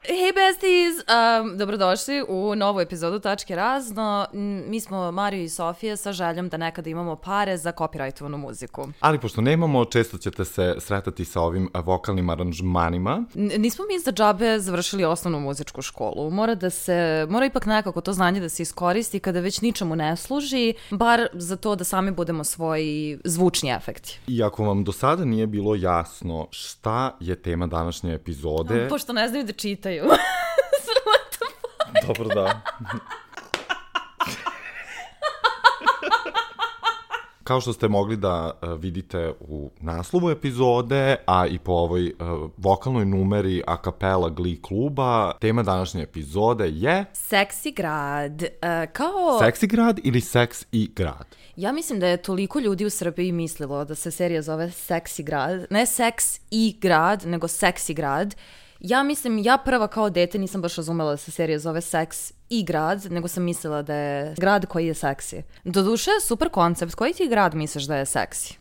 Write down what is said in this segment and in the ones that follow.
Hey besties, dobrodošli u novu epizodu Tačke razno. Mi smo Mario i Sofija sa željom da nekada imamo pare za kopirajtovanu muziku. Ali pošto nemamo, često ćete se sretati sa ovim vokalnim aranžmanima. Nismo mi za džabe završili osnovnu muzičku školu. Mora ipak nekako to znanje da se iskoristi kada već ničemu ne služi, bar za to da sami budemo svoji zvučni efekti. I ako vam do sada nije bilo jasno šta je tema današnje epizode... Pošto ne znaju da čitaju. Dobro, da. Kao što ste mogli da vidite u naslovu epizode, a i po ovoj vokalnoj numeri a cappella Glee kluba, tema današnje epizode je... Seksi grad. Seksi grad ili seks i grad? Ja mislim da je toliko ljudi u Srbiji mislilo da se serija zove Seksi grad. Ne seks i grad, nego Seksi grad. Ja prva kao dete nisam baš razumela da se serija zove Seks i grad, nego sam mislila da je grad koji je seksi. Doduše, super koncept. Koji ti grad misliš da je seksi?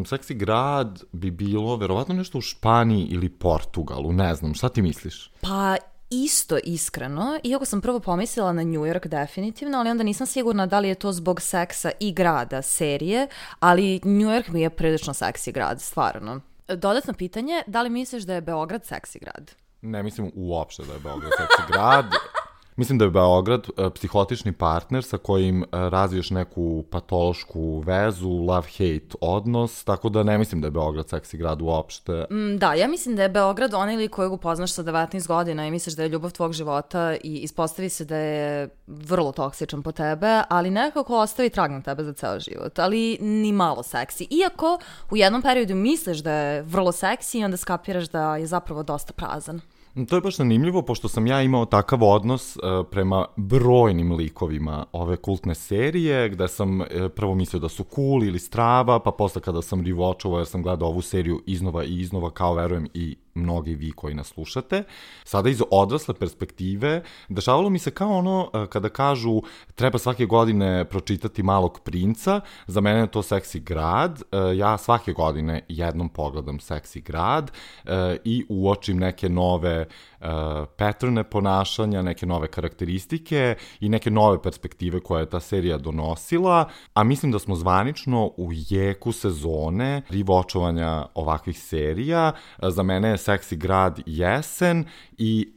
Seksi grad bi bilo verovatno nešto u Španiji ili Portugalu, ne znam, šta ti misliš? Pa isto iskreno, iako sam prvo pomislila na New York definitivno, ali onda nisam sigurna da li je to zbog seksa i grada serije, ali New York mi je prilično seksi grad, stvarno. Dodatno pitanje, da li misliš da je Beograd seksi grad? Ne mislim uopšte da je Beograd seksi grad. Mislim da je Beograd psihotični partner sa kojim razviješ neku patološku vezu, love-hate odnos, tako da ne mislim da je Beograd seksi grad uopšte. Da, ja mislim da je Beograd onaj lik kojeg upoznaš sa 19 godina i misliš da je ljubav tvog života i ispostavi se da je vrlo toksičan po tebe, ali nekako ostavi trag na tebe za ceo život, ali ni malo seksi. Iako u jednom periodu misliš da je vrlo seksi i onda skapiraš da je zapravo dosta prazan. To je baš zanimljivo, pošto sam ja imao takav odnos prema brojnim likovima ove kultne serije, gde sam prvo mislio da su cool ili strava, pa posle kada sam rewatchovao jer sam gledao ovu seriju iznova i iznova, kao verujem i mnogi vi koji nas slušate. Sada iz odrasle perspektive dešavalo mi se kao ono kada kažu treba svake godine pročitati Malog princa, za mene je to Seksi grad, ja svake godine jednom pogledam Seksi grad i uočim neke nove patterne ponašanja, neke nove karakteristike i neke nove perspektive koje je ta serija donosila, a mislim da smo zvanično u jeku sezone rewatchovanja ovakvih serija. Za mene je Seksi grad jesen i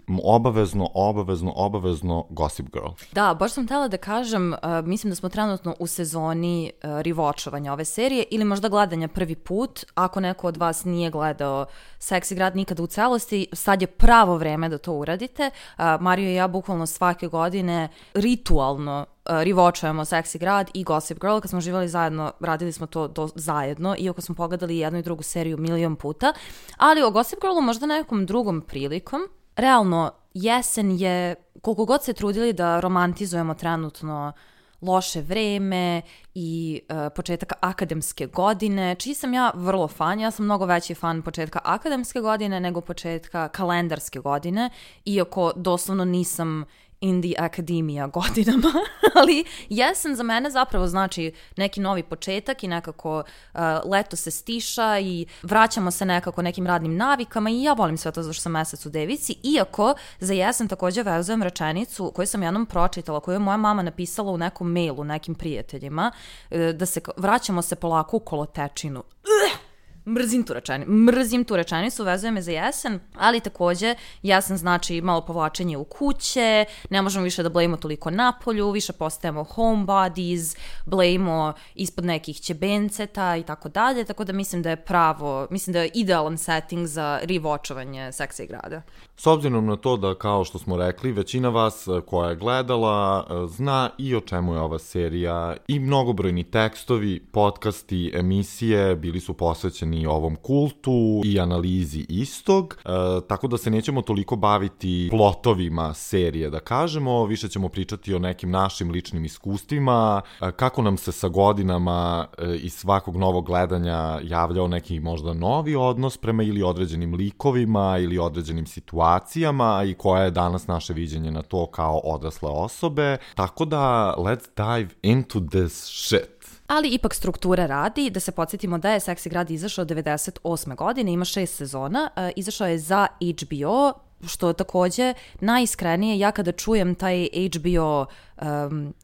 obavezno Gossip Girl. Da, baš sam htjela da kažem, mislim da smo trenutno u sezoni rewatchovanja ove serije ili možda gledanja prvi put. Ako neko od vas nije gledao Seksi grad nikada u celosti, sad je pravo vreme da to uradite. Mario i ja bukvalno svake godine ritualno rewatchujemo Seksi grad i Gossip Girl. Kad smo živjeli zajedno, radili smo to zajedno, iako smo pogledali jednu i drugu seriju milion puta. Ali o Gossip Girlu možda nekom drugom prilikom. Realno, jesen je, koliko god se trudili da romantizujemo trenutno loše vreme i početak akademske godine, čiji sam ja vrlo fan. Ja sam mnogo veći fan početka akademske godine nego početka kalendarske godine, iako doslovno nisam in the academia godinama, ali jesen za mene zapravo znači neki novi početak i nekako leto se stiša i vraćamo se nekako nekim radnim navikama i ja volim sve to zašto sam mesec u devici, iako za jesen također vezujem rečenicu koju sam jednom pročitala, koju je moja mama napisala u nekom mailu nekim prijateljima, da se vraćamo se polako u kolotečinu. Mrzim tu rečenicu, vezuje me za jesen, ali također jesen znači malo povlačenje u kuće, ne možemo više da blejimo toliko napolju, više postajemo homebodies, blejimo ispod nekih ćebenceta i tako dalje, tako da mislim da je idealan setting za rewatchovanje Seksi grada. S obzirom na to da, kao što smo rekli, većina vas koja je gledala zna i o čemu je ova serija i mnogobrojni tekstovi, podcasti, emisije bili su posvećeni ovom kultu i analizi istog, tako da se nećemo toliko baviti plotovima serije, da kažemo, više ćemo pričati o nekim našim ličnim iskustvima, kako nam se sa godinama iz svakog novog gledanja javljao neki možda novi odnos prema ili određenim likovima ili određenim situacijama i koja je danas naše viđenje na to kao odrasle osobe. Tako da, let's dive into this shit. Ali ipak struktura radi, da se podsjetimo da je Seksi grad izašao 98. godine, ima 6 sezona, izašao je za HBO, što takođe najiskrenije, ja kada čujem taj HBO,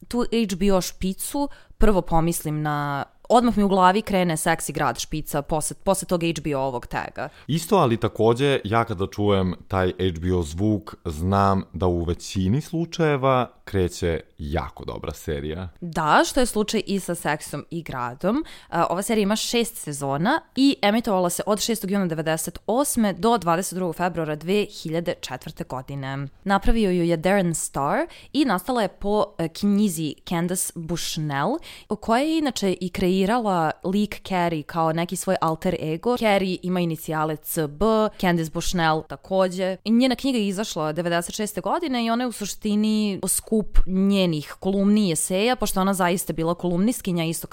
tu HBO špicu, prvo pomislim na, odmah mi u glavi krene Seksi grad špica posle tog HBO-ovog taga. Isto, ali takođe, ja kada čujem taj HBO zvuk, znam da u većini slučajeva kreće jako dobra serija. Da, što je slučaj i sa Seksom i gradom. Ova serija ima 6 sezona i emitovala se od 6. juna 1998. do 22. februara 2004. godine. Napravio ju je Darren Star i nastala je po knjizi Candace Bushnell, koja je inače i kreirala lik Carrie kao neki svoj alter ego. Carrie ima inicijale CB, Candace Bushnell takođe. I njena knjiga je izašla 96. godine i ona je u suštini skup njenih kolumni i eseja, pošto ona zaista bila kolumnistkinja, isto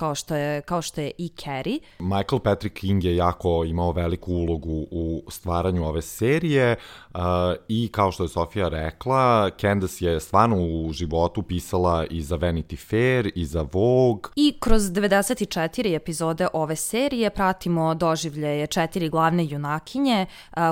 kao što je i Carrie. Michael Patrick King je jako imao veliku ulogu u stvaranju ove serije i kao što je Sofija rekla, Candace je stvarno u životu pisala i za Vanity Fair i za Vogue. I kroz 94 epizode ove serije pratimo doživljaje 4 glavne junakinje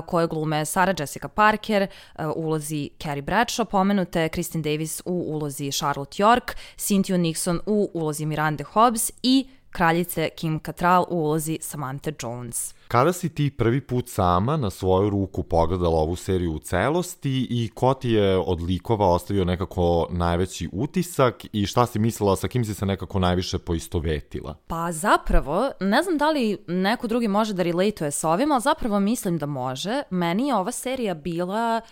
koje glume Sarah Jessica Parker u ulozi Carrie Bradshaw, pomenute Kristin Davis u ulozi Charlotte York, Cynthia Nixon u ulozi Miranda Hobbs i kraljice Kim Cattrall u ulozi Samantha Jones. Kada si ti prvi put sama na svoju ruku pogledala ovu seriju u celosti i ko ti je od likova ostavio nekako najveći utisak i šta si mislila, sa kim si se nekako najviše poistovetila? Pa zapravo, ne znam da li neko drugi može da relatuje sa ovim, ali zapravo mislim da može. Meni je ova serija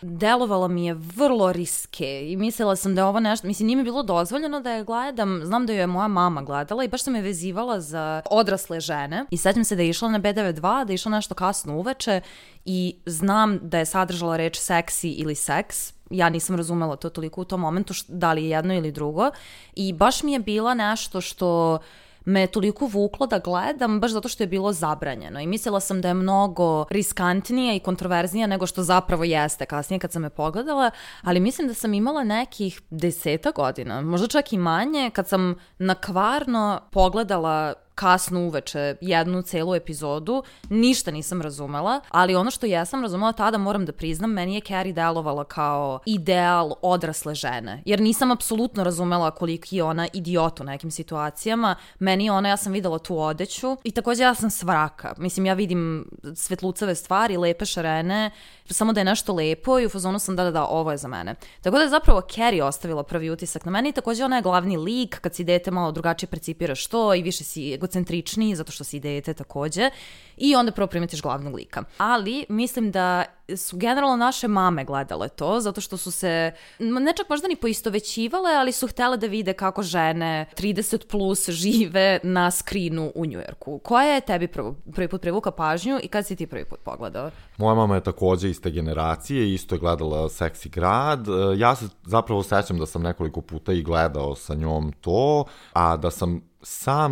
delovala mi je vrlo riske i mislila sam da je ovo nešto, mislim, nije mi bilo dozvoljeno da je gledam, znam da je moja mama gledala i baš sam je vezivala za odrasle žene i sećam se da je išla na B92, da je išla nešto kasno uveče i znam da je sadržala reč seksi ili seks. Ja nisam razumela to toliko u tom momentu, da li je jedno ili drugo. I baš mi je bila nešto što me toliko vuklo da gledam, baš zato što je bilo zabranjeno. I mislila sam da je mnogo riskantnija i kontroverznija nego što zapravo jeste kasnije kad sam je pogledala, ali mislim da sam imala nekih 10 godina, možda čak i manje, kad sam na kvarno pogledala kasno uveče jednu celu epizodu, ništa nisam razumela, ali ono što jesam razumela tada, moram da priznam, meni je Carrie delovala kao ideal odrasle žene, jer nisam apsolutno razumela koliko je ona idiot u nekim situacijama. Meni je ona, ja sam videla tu odeću i takođe ja sam svraka. Mislim, ja vidim svetlucave stvari, lepe šarene, samo da je nešto lepo i u fazonu sam da, ovo je za mene. Tako da je zapravo Carrie ostavila prvi utisak na meni i takođe ona je glavni lik, kad si dete malo drugačije percipiraš to i više si egocentričniji zato što si dete takođe i onda prvo primetiš glavnog lika. Ali mislim da su generalno naše mame gledale to, zato što su se, ne čak možda ni poistovećivale, ali su htele da vide kako žene 30 plus žive na skrinu u Njujorku. Koja je tebi prvi put privuka pažnju i kad si ti prvi put pogledao? Moja mama je takođe iste generacije, isto je gledala Seksi grad. Ja se zapravo sećam da sam nekoliko puta i gledao sa njom to, a da sam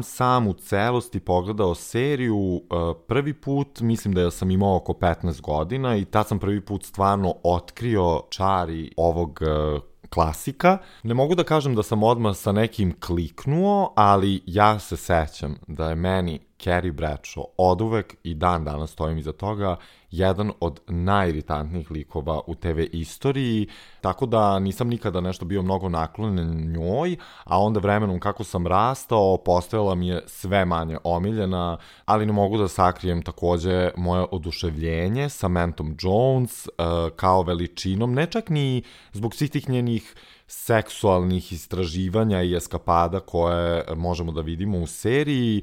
sam u celosti pogledao seriju prvi put, mislim da sam imao oko 15 godina i tad sam prvi put stvarno otkrio čari ovog klasika. Ne mogu da kažem da sam odmah sa nekim kliknuo, ali ja se sećam da je meni Carrie Bradshaw oduvek i dan danas stojim iza toga jedan od najiritantnijih likova u TV istoriji, tako da nisam nikada nešto bio mnogo naklonjen njoj, a onda vremenom kako sam rastao, postojala mi je sve manje omiljena, ali ne mogu da sakrijem takođe moje oduševljenje Samanthom Jones kao veličinom, ne čak ni zbog svih tih njenih seksualnih istraživanja i eskapada koje možemo da vidimo u seriji,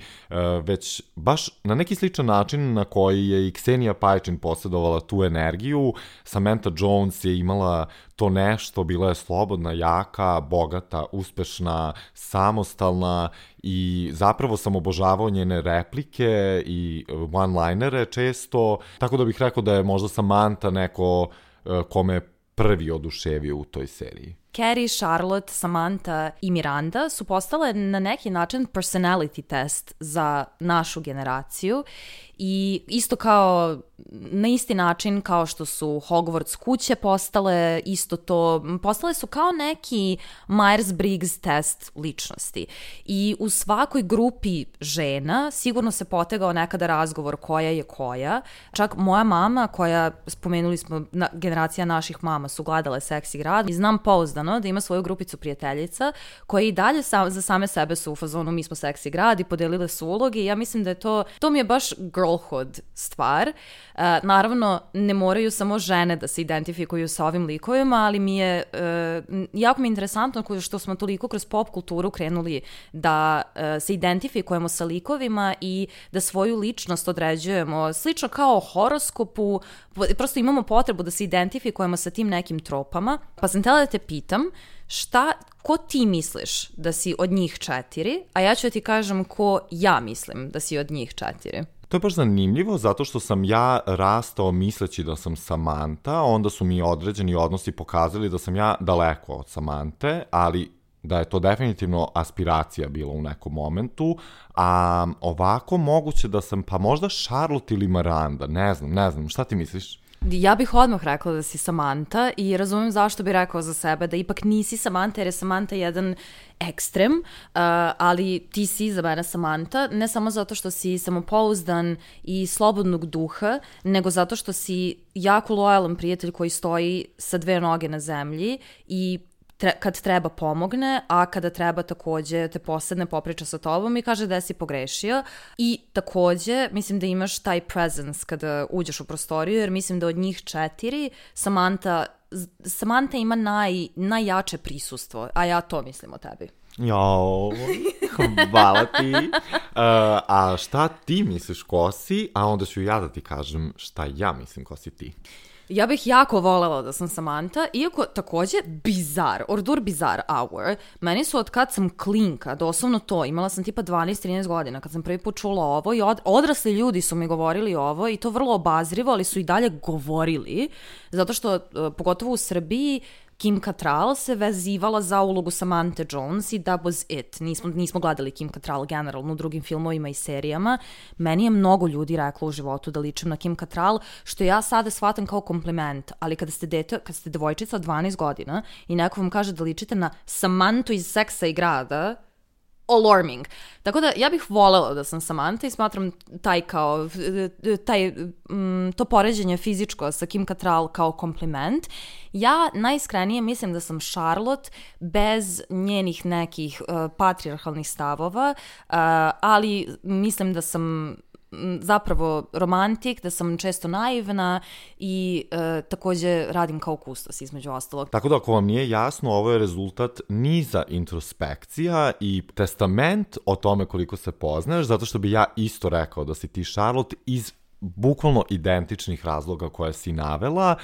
već baš na neki sličan način na koji je i Ksenija Pajčin posjedovala tu energiju. Samantha Jones je imala to nešto, bila je slobodna, jaka, bogata, uspešna, samostalna i zapravo sam obožavao njene replike i one-linere često, tako da bih rekao da je možda Samantha neko kome je prvi oduševio u toj seriji. Carrie, Charlotte, Samantha i Miranda su postale na neki način personality test za našu generaciju i isto kao na isti način kao što su Hogwarts kuće postale, isto to, postale su kao neki Myers-Briggs test ličnosti. I u svakoj grupi žena sigurno se potegao nekada razgovor koja je koja. Čak moja mama, koja, spomenuli smo, generacija naših mama su gledale Seksi grad, i znam pouzdano da ima svoju grupicu prijateljica koje i dalje za same sebe su u fazonu mi smo Seksi grad i podelile su uloge i ja mislim da je to mi je baš girlhood stvar. Naravno, ne moraju samo žene da se identifikuju sa ovim likovima, ali mi je jako mi je interesantno što smo toliko kroz pop kulturu krenuli da se identifikujemo sa likovima i da svoju ličnost određujemo slično kao horoskopu, prosto imamo potrebu da se identifikujemo sa tim nekim tropama. Pa sam htjela da te pitam, ko ti misliš da si od njih 4, a ja ću ti kažem ko ja mislim da si od njih 4. To je baš zanimljivo zato što sam ja rastao misleći da sam Samantha, onda su mi određeni odnosi pokazali da sam ja daleko od Samante, ali da je to definitivno aspiracija bila u nekom momentu, a ovako moguće da sam pa možda Charlotte ili Miranda, ne znam, šta ti misliš? Ja bih odmah rekla da si Samantha i razumijem zašto bi rekao za sebe da ipak nisi Samantha, jer je Samantha jedan ekstrem, ali ti si za mene Samantha, ne samo zato što si samopouzdan i slobodnog duha, nego zato što si jako lojalan prijatelj koji stoji sa 2 noge na zemlji i kad treba pomogne, a kada treba takođe te posedne, popriča sa tobom i kaže da si pogrešio. I takođe mislim da imaš taj presence kada uđeš u prostoriju, jer mislim da od njih 4 Samantha ima najjače prisustvo, a ja to mislim o tebi. Jao, hvala ti. A šta ti misliš ko si, a onda ću ja da ti kažem šta ja mislim ko si ti. Ja bih jako volela da sam Samantha, iako takođe Ordur Bizar Hour, meni su od kad sam klinka, doslovno to, imala sam tipa 12-13 godina, kad sam prvi put čula ovo i odrasli ljudi su mi govorili ovo i to vrlo obazrivo, ali su i dalje govorili, zato što, pogotovo u Srbiji, Kim Cattrall se vezivala za ulogu Samantha Jones i that was it. Nismo gledali Kim Cattrall generalno u drugim filmovima i serijama. Meni je mnogo ljudi reklo u životu da ličim na Kim Cattrall, što ja sada shvatam kao kompliment, ali kada ste devojčica od 12 godina i neko vam kaže da ličite na Samanthu iz Seksa i grada, alarming. Tako da ja bih volela da sam Samantha i smatram to poređenje fizičko sa Kim Cattrall kao kompliment. Ja najiskrenije mislim da sam Charlotte bez njenih nekih patrijarhalnih stavova, ali mislim da sam zapravo romantik, da sam često naivna i takođe radim kao kustos između ostalog. Tako da ako vam nije jasno, ovo je rezultat niza introspekcija i testament o tome koliko se poznaješ, zato što bi ja isto rekao da si ti Charlotte iz bukvalno identičnih razloga koje si navela,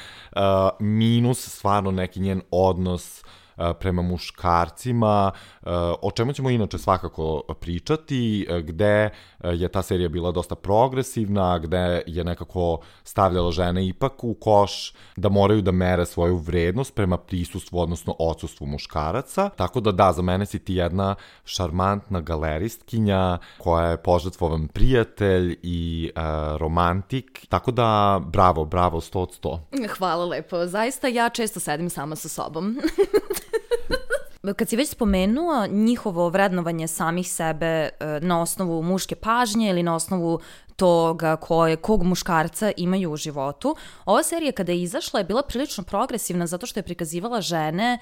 minus stvarno neki njen odnos prema muškarcima, o čemu ćemo inače svakako pričati, gde je ta serija bila dosta progresivna, gde je nekako stavljala žene ipak u koš da moraju da mere svoju vrednost prema prisustvu, odnosno odsustvu muškaraca. Tako da, za mene si ti jedna šarmantna galeristkinja koja je požrtvovan prijatelj i romantik. Tako da, bravo, 100 od 100. Hvala lepo. Zaista ja često sedim sama sa sobom. Kad si već spomenuo njihovo vrednovanje samih sebe na osnovu muške pažnje ili na osnovu toga kog muškarca imaju u životu, ova serija kada je izašla je bila prilično progresivna zato što je prikazivala žene,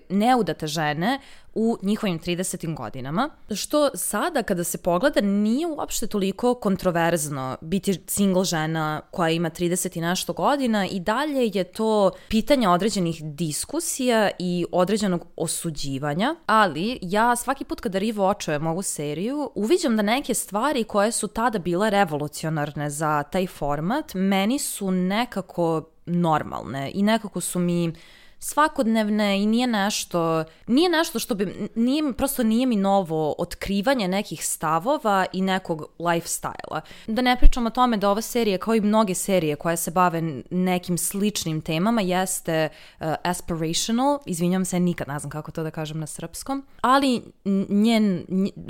neudate žene u njihovim 30. godinama, što sada kada se pogleda nije uopšte toliko kontroverzno biti single žena koja ima 30 i nešto godina i dalje je to pitanje određenih diskusija i određenog osuđivanja, ali ja svaki put kada rewatchujem ovu seriju uviđam da neke stvari koje su tada bile revolucionarne za taj format meni su nekako normalne i nekako su mi svakodnevne i nije nešto što bi, prosto nije mi novo otkrivanje nekih stavova i nekog lifestyle-a. Da ne pričam o tome da ova serija, kao i mnoge serije koje se bave nekim sličnim temama, jeste aspirational, izvinjam se, nikad ne znam kako to da kažem na srpskom, ali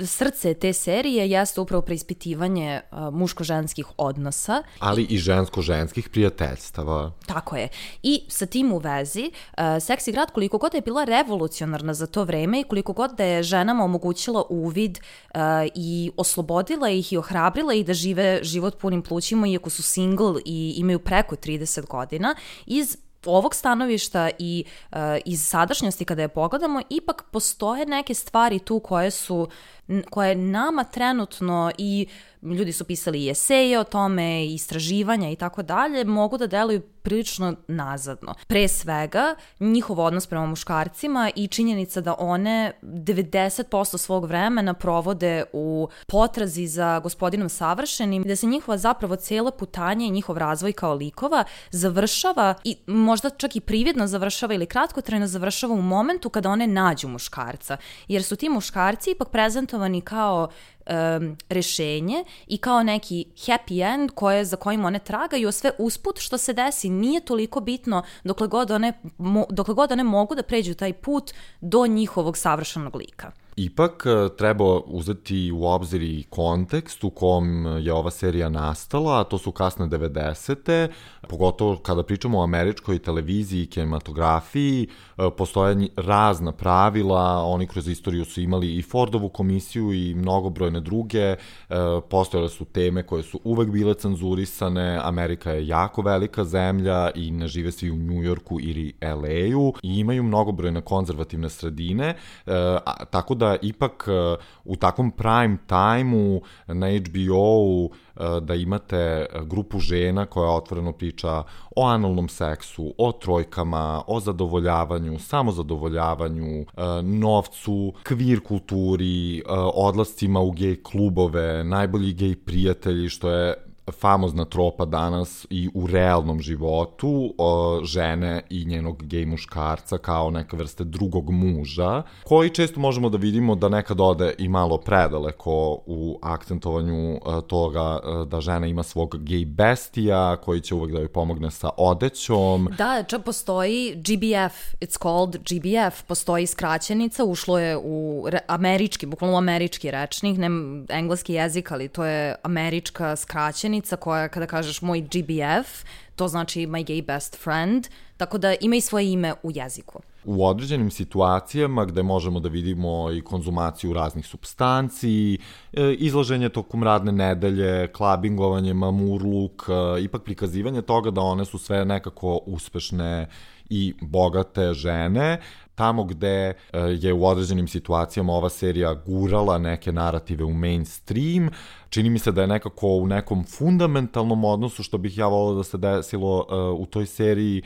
srce te serije jeste upravo preispitivanje muško-ženskih odnosa. Ali i žensko-ženskih prijateljstava. Tako je. I sa tim u vezi, Seksi grad, koliko god je bila revolucionarna za to vreme i koliko god da je ženama omogućila uvid i oslobodila ih i ohrabrila ih da žive život punim plućima, iako su single i imaju preko 30 godina, iz ovog stanovišta i iz sadašnjosti kada je pogledamo, ipak postoje neke stvari tu koje nama trenutno, i ljudi su pisali i eseje o tome, i istraživanja i tako dalje, mogu da deluju prilično nazadno. Pre svega, njihov odnos prema muškarcima i činjenica da one 90% svog vremena provode u potrazi za gospodinom savršenim, da se njihova zapravo cijela putanja i njihov razvoj kao likova završava, i možda čak i prividno završava ili kratkotrajno završava u momentu kada one nađu muškarca. Jer su ti muškarci ipak prezentovani kao rešenje i kao neki happy end za kojim one tragaju, a sve usput što se desi nije toliko bitno dokle god one mogu da pređu taj put do njihovog savršenog lika. Ipak treba uzeti u obzir i kontekst u kom je ova serija nastala, a to su kasne 90. Pogotovo kada pričamo o američkoj televiziji i kinematografiji, postoje razna pravila, oni kroz istoriju su imali i Fordovu komisiju i mnogobrojne druge, postojale su teme koje su uvek bile cenzurisane, Amerika je jako velika zemlja i ne žive svi u Njujorku ili LA-u i imaju mnogobrojne konzervativne sredine, tako da ipak u takvom prime time-u na HBO-u da imate grupu žena koja otvoreno priča o analnom seksu, o trojkama, o zadovoljavanju, samozadovoljavanju, novcu, kvir kulturi, odlascima u gej klubove, najbolji gej prijatelji, što je famozna tropa danas i u realnom životu, žene i njenog gej muškarca kao neka vrste drugog muža, koji često možemo da vidimo da nekad ode i malo predaleko u akcentovanju toga da žena ima svog gej bestija koji će uvek da joj pomogne sa odećom. Da, čak postoji GBF, it's called GBF, postoji skraćenica, ušlo je u bukvalno američki rečnik, ne engleski jezik, ali to je američka skraćenica koja, kada kažeš moj GBF, to znači my gay best friend, tako da ima i svoje ime u jeziku. U određenim situacijama gde možemo da vidimo i konzumaciju raznih supstanci, izlaženje tokom radne nedelje, klabingovanje, mamurluk, ipak prikazivanje toga da one su sve nekako uspešne i bogate žene, tamo gde je u određenim situacijama ova serija gurala neke narative u mainstream, čini mi se da je nekako u nekom fundamentalnom odnosu, što bih ja volao da se desilo u toj seriji,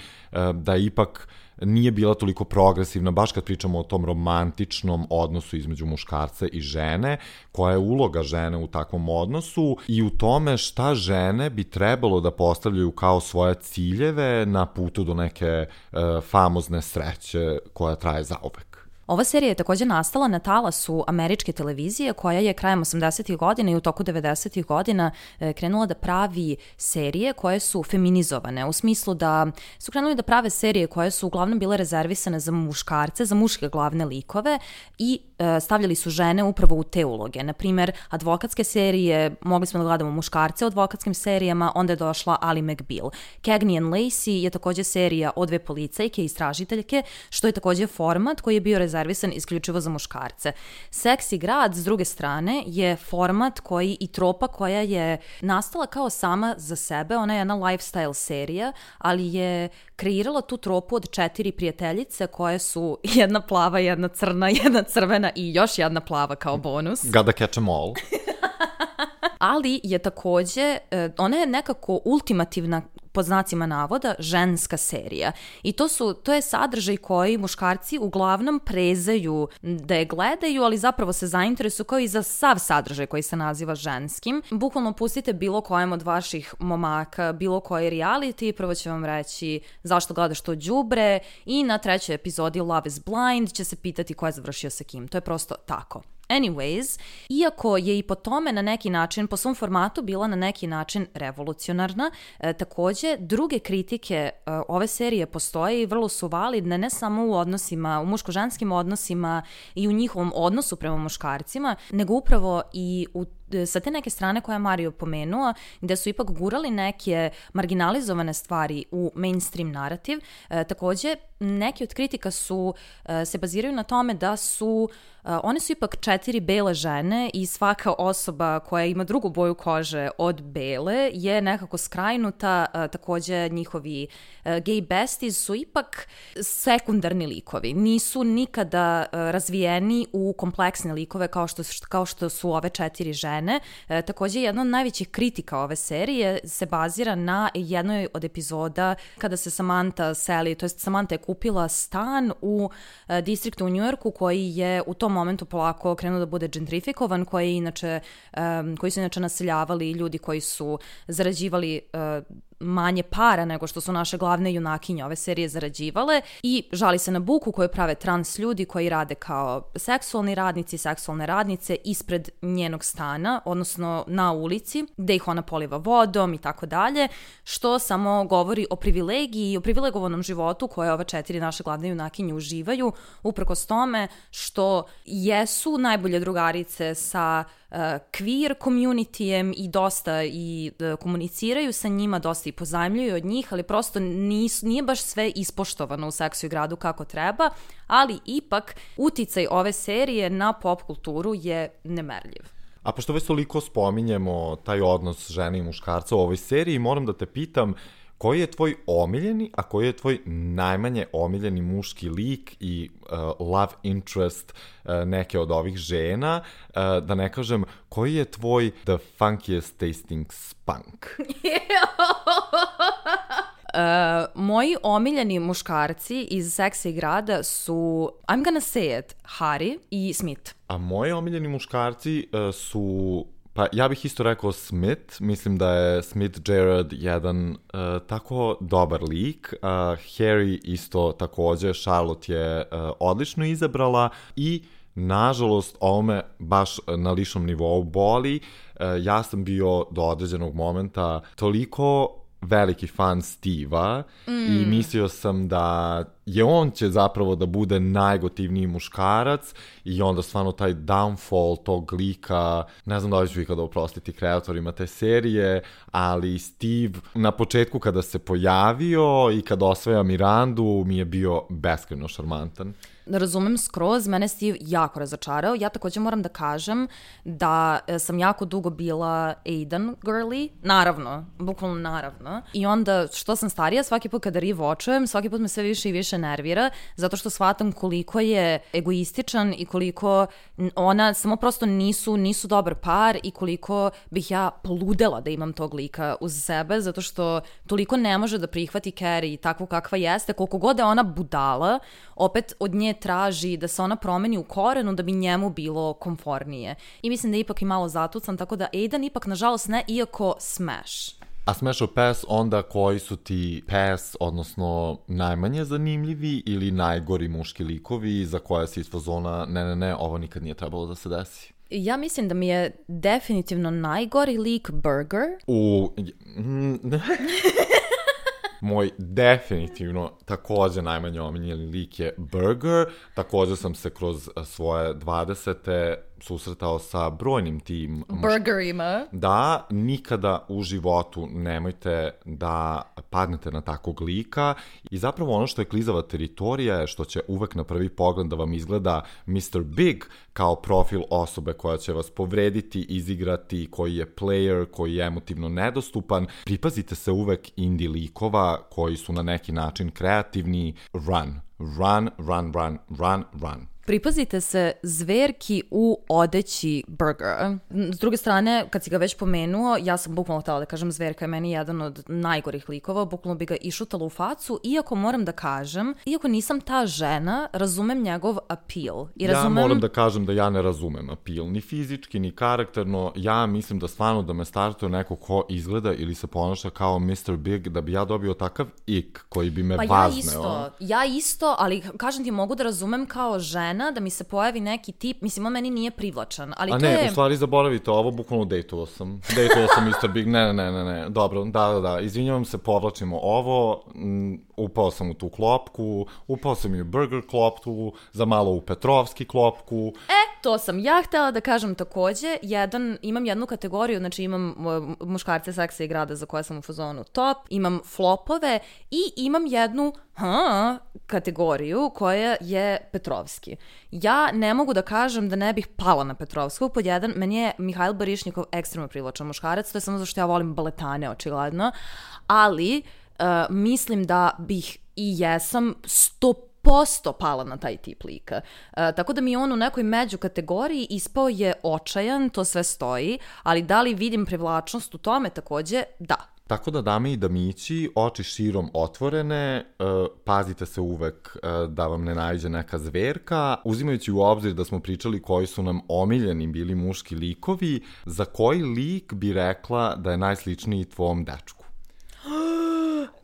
da ipak nije bila toliko progresivna, baš kad pričamo o tom romantičnom odnosu između muškarca i žene, koja je uloga žene u takvom odnosu i u tome šta žene bi trebalo da postavljaju kao svoje ciljeve na putu do neke famozne sreće koja traje zauvek. Ova serija je također nastala na talasu američke televizije koja je krajem 80-ih godina i u toku 90-ih godina krenula da pravi serije koje su feminizovane, u smislu da su krenuli da prave serije koje su uglavnom bile rezervisane za muškarce, za muške glavne likove i stavljali su žene upravo u te uloge. Naprimer, advokatske serije, mogli smo da gledamo muškarce u advokatskim serijama, onda je došla Ali McBeal. Cagney and Lacey je također serija o dve policajke i istražiteljke, što je također format koji je bio rezervisan isključivo za muškarce. Seksi grad, s druge strane, je format koji i tropa koja je nastala kao sama za sebe, ona je jedna lifestyle serija, ali je kreirala tu tropu od 4 prijateljice koje su jedna plava, jedna crna, jedna crvena i još jedna plava kao bonus. Gotta catch 'em all. Ali je također, ona je nekako ultimativna pod znacima navoda ženska serija. I to je sadržaj koji muškarci uglavnom prezaju da je gledaju, ali zapravo se zainteresuju kao i za sav sadržaj koji se naziva ženskim. Bukvalno pustite bilo kojem od vaših momaka, bilo koji reality, prvo će vam reći zašto gledaš to đubre i na 3. epizodi Love is Blind će se pitati ko je završio sa kim. To je prosto tako. Anyways, iako je i po tome na neki način, po svom formatu bila na neki način revolucionarna, takođe druge kritike ove serije postoje i vrlo su validne ne samo u odnosima, u muško-ženskim odnosima i u njihovom odnosu prema muškarcima, nego upravo i sa te neke strane koje je Mario pomenuo, gde su ipak gurali neke marginalizovane stvari u mainstream narativ. Takođe, neki od kritika se baziraju na tome da one su ipak 4 bele žene i svaka osoba koja ima drugu boju kože od bele je nekako skrajnuta. Takođe, njihovi gay besties su ipak sekundarni likovi. Nisu nikada razvijeni u kompleksne likove kao što su ove 4 žene. Takođe, jedna od najvećih kritika ove serije se bazira na jednoj od epizoda kada se Samantha seli, to jest Samantha je kupila stan u distriktu u Njujorku koji je u tom momentu polako krenuo da bude gentrifikovan, koji su inače naseljavali ljudi koji su zarađivali manje para nego što su naše glavne junakinje ove serije zarađivale i žali se na buku koju prave trans ljudi koji rade kao seksualni radnici, seksualne radnice ispred njenog stana, odnosno na ulici, gde ih ona poliva vodom i tako dalje, što samo govori o privilegiji i o privilegovanom životu koje ove 4 naše glavne junakinje uživaju, uprkos tome što jesu najbolje drugarice sa queer communityjem i dosta komuniciraju sa njima, dosta i pozajmljuju od njih, ali prosto nije baš sve ispoštovano u Seksu i gradu kako treba, ali ipak uticaj ove serije na pop kulturu je nemerljiv. A pošto već toliko spominjemo taj odnos žene i muškarca u ovoj seriji, moram da te pitam koji je tvoj omiljeni, a koji je tvoj najmanje omiljeni muški lik i love interest neke od ovih žena, da ne kažem, koji je tvoj the funkiest tasting spunk? Moji omiljeni muškarci iz Seksa i grada su, I'm gonna say it, Harry i Smith. A moji omiljeni muškarci su... Pa ja bih isto rekao Smith, mislim da je Smith Jerrod jedan tako dobar lik, Harry isto takođe, Charlotte je odlično izabrala i nažalost ovo me baš na ličnom nivou boli, ja sam bio do određenog momenta toliko veliki fan Steve-a i mislio sam da on će zapravo da bude najgotivniji muškarac i onda stvarno taj downfall tog lika, ne znam da li ću ikada oprostiti kreatorima te serije, ali Steve na početku kada se pojavio i kada osvaja Mirandu mi je bio beskrajno šarmantan. Razumem skroz, mene Steve jako razočarao. Ja takođe moram da kažem da sam jako dugo bila Aidan girly, naravno, bukvalno naravno. I onda što sam starija, svaki put kada rewatchujem, svaki put me sve više i više nervira, zato što shvatam koliko je egoističan i koliko ona samo prosto nisu dobar par i koliko bih ja poludela da imam tog lika uz sebe, zato što toliko ne može da prihvati Carrie takvu kakva jeste, koliko god je ona budala, opet od nje traži da se ona promeni u korenu da bi njemu bilo komfornije. I mislim da je ipak i malo zatucan, tako da Aidan ipak nažalost ne, iako Smash. A Smash or Pass onda koji su ti pass, odnosno najmanje zanimljivi ili najgori muški likovi za koje si iz fazona ne, ovo nikad nije trebalo da se desi? Ja mislim da mi je definitivno najgori lik Burger. Moj definitivno takođe najmanje omiljeni lik je Burger. Takođe sam se kroz svoje 20. susretao sa brojnim tim burgerima. Da, nikada u životu nemojte da padnete na takvog lika i zapravo ono što je klizava teritorija je što će uvek na prvi pogled da vam izgleda Mr. Big kao profil osobe koja će vas povrediti, izigrati, koji je player, koji je emotivno nedostupan. Pripazite se uvek indie likova koji su na neki način kreativni. Run. Pripazite se zverki u odeći Burgera. S druge strane, kad si ga već pomenuo, ja sam bukvalno htjela da kažem zverka je meni jedan od najgorih likova, bukvalno bi ga išutala u facu, iako moram da kažem, iako nisam ta žena, razumem njegov appeal. Ja moram da kažem da ja ne razumem appeal, ni fizički, ni karakterno. Ja mislim da stvarno da me startuje neko ko izgleda ili se ponaša kao Mr. Big, da bi ja dobio takav ik koji bi me vazneo. Ja isto, ali kažem ti, mogu da razumem kao žena da mi se pojavi neki tip, mislim, on meni nije privlačan, ali a to ne, u stvari zaboravite, ovo bukvalno dejtovao sam Mr. Big, ne, dobro, da, izvinjavam se, povlačimo ovo, upao sam u tu klopku, upao sam i u burger klopku, za malo u Petrovski klopku. To sam ja htjela da kažem takođe, imam jednu kategoriju, znači imam muškarce seksa i grada za koje sam u fazonu top, imam flopove i imam jednu kategoriju koja je Petrovski. Ja ne mogu da kažem da ne bih pala na Petrovskog. Pod jedan, meni je Mihajl Barišnikov ekstremno privlačan muškarac, to je samo zato što ja volim baletane, očigledno, ali mislim da bih i jesam 100% pala na taj tip lika. Tako da mi je on u nekoj među kategoriji ispao je očajan, to sve stoji, ali da li vidim privlačnost u tome takođe? Da. Tako da, dame i damići, oči širom otvorene, pazite se uvek da vam ne naiđe neka zverka, uzimajući u obzir da smo pričali koji su nam omiljeni bili muški likovi, za koji lik bi rekla da je najsličniji tvom dečku?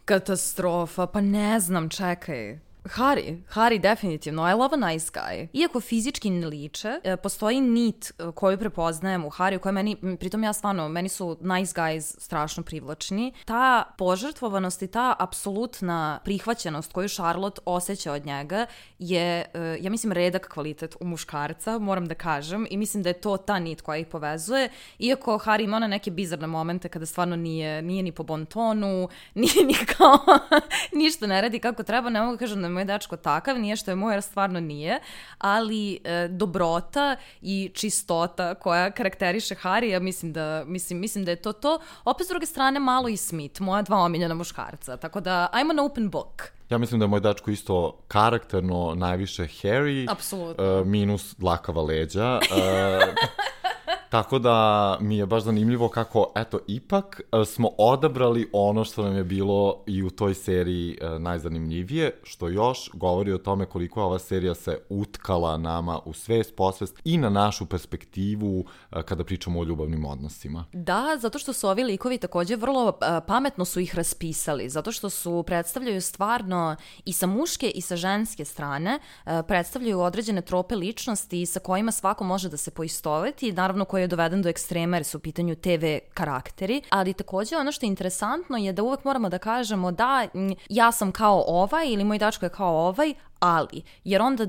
Katastrofa, pa ne znam, čekaj. Harry definitivno, I love a nice guy. Iako fizički ne liče, postoji nit koju prepoznajem u Harryu, koja pritom ja stvarno, meni su nice guys strašno privlačni. Ta požrtvovanost i ta apsolutna prihvaćenost koju Charlotte osjeća od njega je, ja mislim, redak kvalitet u muškarca, moram da kažem, i mislim da je to ta nit koja ih povezuje, iako Harry ima neke bizarne momente kada stvarno nije ni po bon tonu, nije ni kao ništa ne radi kako treba, ne mogu kažem da moj dečko takav, nije što je moj, jer stvarno nije, ali dobrota i čistota koja karakteriše Harrya, mislim da je to. Opet s druge strane malo i Smith, moja dva omiljena muškarca, tako da I'm an open book. Ja mislim da je moj dečko isto karakterno najviše Harry, minus dlakava leđa. Tako da mi je baš zanimljivo kako, eto, ipak smo odabrali ono što nam je bilo i u toj seriji najzanimljivije, što još govori o tome koliko ova serija se utkala nama u svest, posvest i na našu perspektivu kada pričamo o ljubavnim odnosima. Da, zato što su ovi likovi također vrlo pametno su ih raspisali, zato što su predstavljaju stvarno i sa muške i sa ženske strane, predstavljaju određene trope ličnosti sa kojima svako može da se poistoveti, naravno koji je doveden do ekstrema jer su u pitanju TV karakteri, ali također ono što je interesantno je da uvek moramo da kažemo da ja sam kao ovaj ili moj dačko je kao ovaj, ali, jer onda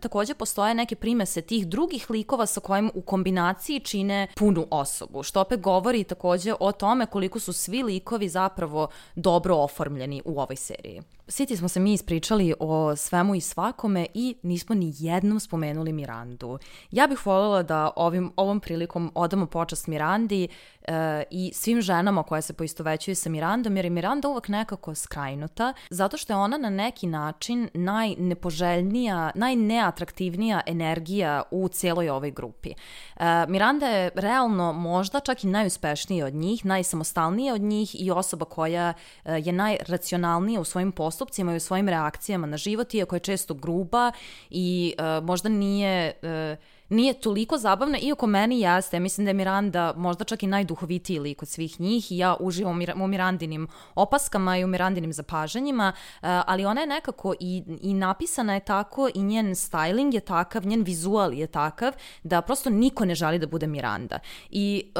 također postoje neke primese tih drugih likova sa kojim u kombinaciji čine punu osobu, što opet govori također o tome koliko su svi likovi zapravo dobro oformljeni u ovoj seriji. Svi smo se mi ispričali o svemu i svakome i nismo ni jednom spomenuli Mirandu. Ja bih voljela da ovom prilikom odamo počast Mirandi i svim ženama koje se poistovećuju sa Mirandom, jer je Miranda uvek nekako skrajnuta, zato što je ona na neki način najnepoželjnija, najneatraktivnija energija u cijeloj ovoj grupi. Miranda je realno možda čak i najuspešnija od njih, najsamostalnija od njih i osoba koja je najracionalnija u svojim postupcima i u svojim reakcijama na život, iako je često gruba i možda nije toliko zabavna, iako meni jeste. Mislim da je Miranda možda čak i najduhovitiji lik od svih njih i ja uživam u Mirandinim opaskama i u Mirandinim zapažanjima, ali ona je nekako i napisana je tako i njen styling je takav, njen vizual je takav da prosto niko ne želi da bude Miranda. I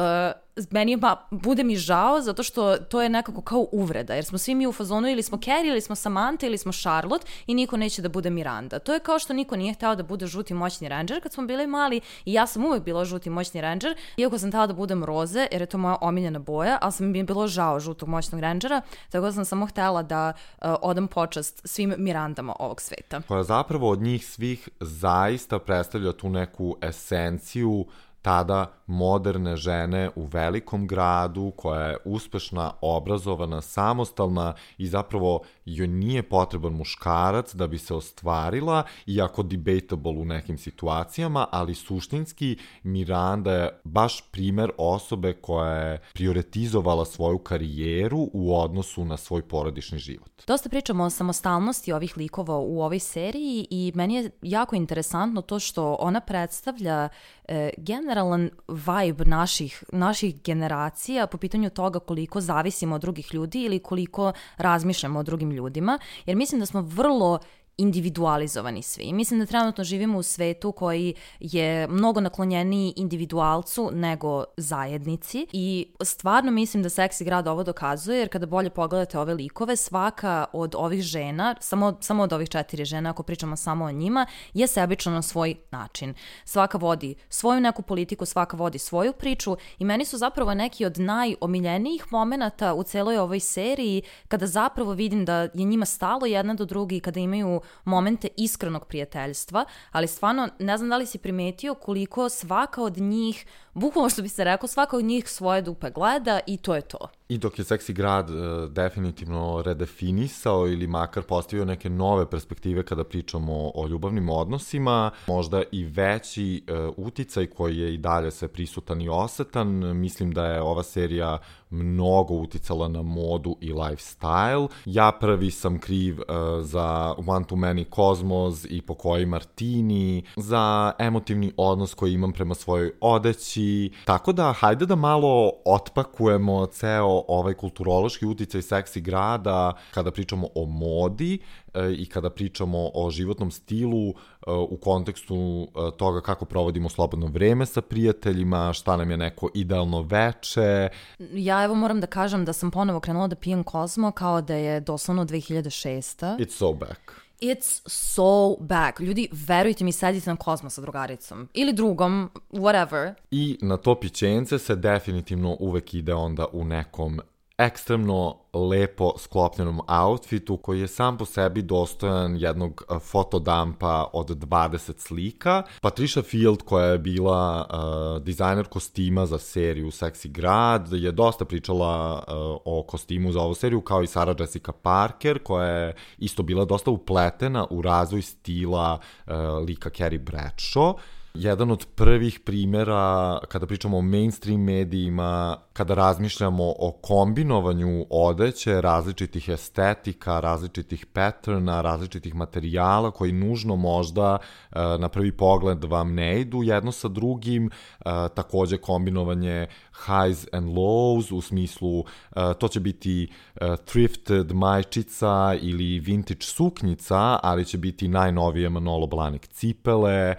bude mi žao zato što to je nekako kao uvreda, jer smo svi mi u fazonu ili smo Carrie, ili smo Samantha, ili smo Charlotte i niko neće da bude Miranda. To je kao što niko nije hteo da bude žuti moćni ranger kad smo bili mali i ja sam uvek bila žuti moćni ranger, iako sam htela da budem roze, jer je to moja omiljena boja, ali sam mi je bilo žao žutog moćnog rangera, tako da sam samo htela da odam počast svim Mirandama ovog sveta. Koja zapravo od njih svih zaista predstavlja tu neku esenciju tada moderne žene u velikom gradu, koja je uspešna, obrazovana, samostalna i zapravo joj nije potreban muškarac da bi se ostvarila, iako debatable u nekim situacijama, ali suštinski Miranda je baš primer osobe koja je prioritizovala svoju karijeru u odnosu na svoj porodični život. Dosta pričamo o samostalnosti ovih likova u ovoj seriji i meni je jako interesantno to što ona predstavlja generalan vibe naših generacija po pitanju toga koliko zavisimo od drugih ljudi ili koliko razmišljamo o drugim ljudima, jer mislim da smo vrlo individualizovani svi. Mislim da trenutno živimo u svetu koji je mnogo naklonjeniji individualcu nego zajednici i stvarno mislim da Seksi grad ovo dokazuje, jer kada bolje pogledate ove likove, svaka od ovih žena, samo od ovih 4 žena, ako pričamo samo o njima, je sebična na svoj način. Svaka vodi svoju neku politiku, svaka vodi svoju priču i meni su zapravo neki od najomiljenijih momenata u celoj ovoj seriji kada zapravo vidim da je njima stalo jedna do druge i kada imaju momente iskrenog prijateljstva, ali stvarno ne znam da li si primetio koliko svaka od njih, bukvalno što bi se rekao, svaka od njih svoje dupe gleda i to je to. I dok je Seksi grad definitivno redefinisao ili makar postavio neke nove perspektive kada pričamo o ljubavnim odnosima, možda i veći uticaj koji je i dalje sve prisutan i osetan, mislim da je ova serija mnogo uticala na modu i lifestyle. Ja prvi sam kriv za One Too Many Cosmos i Pokoji Martini, za emotivni odnos koji imam prema svojoj odeći. Tako da, hajde da malo otpakujemo ceo ovaj kulturološki uticaj Seksi grada kada pričamo o modi i kada pričamo o životnom stilu u kontekstu toga kako provodimo slobodno vreme sa prijateljima, šta nam je neko idealno veče. Ja evo moram da kažem da sam ponovo krenula da pijem Kozmo kao da je doslovno 2006. It's so back. It's so back. Ljudi, verujte mi, sedite na Kozmo sa drugaricom. Ili drugom, whatever. I na to pićence se definitivno uvek ide onda u nekom ekstremno lepo sklopljenom outfitu koji je sam po sebi dostojan jednog fotodampa od 20 slika. Patricia Field, koja je bila dizajner kostima za seriju Seksi grad, je dosta pričala o kostimu za ovu seriju, kao i Sarah Jessica Parker, koja je isto bila dosta upletena u razvoj stila lika Carrie Bradshaw. Jedan od prvih primjera kada pričamo o mainstream medijima, kada razmišljamo o kombinovanju odeće, različitih estetika, različitih patterna, različitih materijala koji nužno možda na prvi pogled vam ne idu jedno sa drugim, takođe kombinovanje highs and lows u smislu to će biti thrifted majčica ili vintage suknjica, ali će biti najnovije Manolo Blahnik cipele.